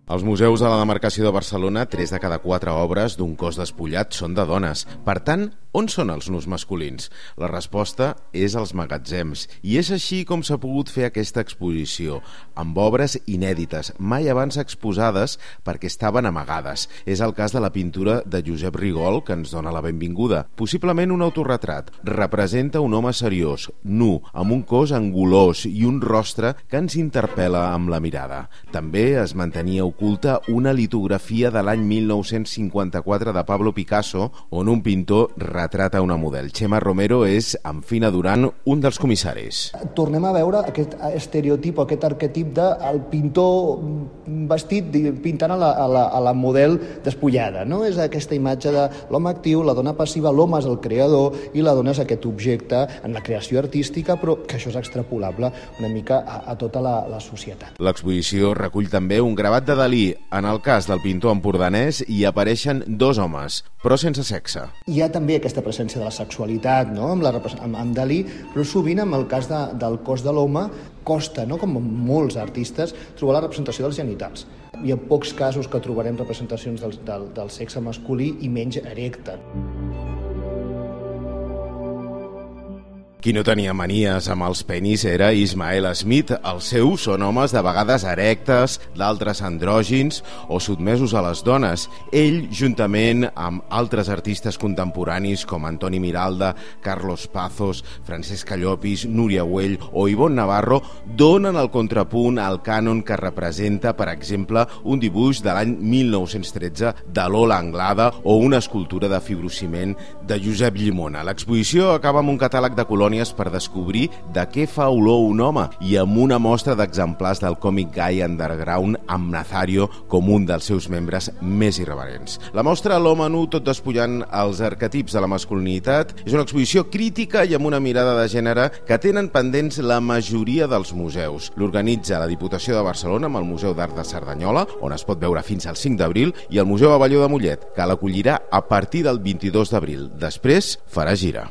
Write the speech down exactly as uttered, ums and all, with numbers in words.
Als museus de la demarcació de Barcelona, tres de cada quatre obres d'un cos despullat són de dones. Per tant, on són els nus masculins? La resposta és als magatzems. I és així com s'ha pogut fer aquesta exposició, amb obres inèdites, mai abans exposades perquè estaven amagades. És el cas de la pintura de Josep Rigol, que ens dona la benvinguda. Possiblement un autorretrat. Representa un home seriós, nu, amb un cos angulós i un rostre que ens interpel·la amb la mirada. També es mantenia oculta una litografia de l'any mil nou-cents cinquanta-quatre de Pablo Picasso, on un pintor retrata una model. Txema Romero és, amb Fina Duran, un dels comissaris. Tornem a veure aquest estereotip, aquest arquetip del pintor vestit pintant a la, a la, a la model despullada, no? És aquesta imatge de l'home actiu, la dona passiva, l'home és el creador i la dona és aquest objecte en la creació artística, però que això és extrapolable una mica a, a tota la, la societat. L'exposició recull també un gravat de Dalí. En el cas del pintor empordanès hi apareixen dos homes, però sense sexe. Hi ha també aquesta presència de la sexualitat, no? amb, la, amb, amb Dalí, però sovint amb el cas de, del cos de l'home costa, no? com molts artistes, trobar la representació dels genitals. Hi ha pocs casos que trobarem representacions del, del, del sexe masculí i menys erecte. Qui no tenia manies amb els penis era Ismael Smith. Els seus són homes de vegades erectes, d'altres andrògins o sotmesos a les dones. Ell, juntament amb altres artistes contemporanis com Antoni Miralda, Carlos Pazos, Francesc Llopis, Núria Güell o Ivonne Navarro, donen el contrapunt al cànon que representa, per exemple, un dibuix de l'any mil nou-cents tretze de Lola Anglada o una escultura de fibrociment de Josep Llimona. L'exposició acaba amb un catàleg de colònies per descobrir de què fa olor un home i amb una mostra d'exemplars del còmic gai underground amb Nazario com un dels seus membres més irreverents. La mostra L'home nu tot despullant els arquetips de la masculinitat és una exposició crítica i amb una mirada de gènere que tenen pendents la majoria dels museus. L'organitza la Diputació de Barcelona amb el Museu d'Art de Cerdanyola, on es pot veure fins al cinc d'abril, i el Museu Abelló de Mollet, que l'acollirà a partir del vint-i-dos d'abril. Després farà gira.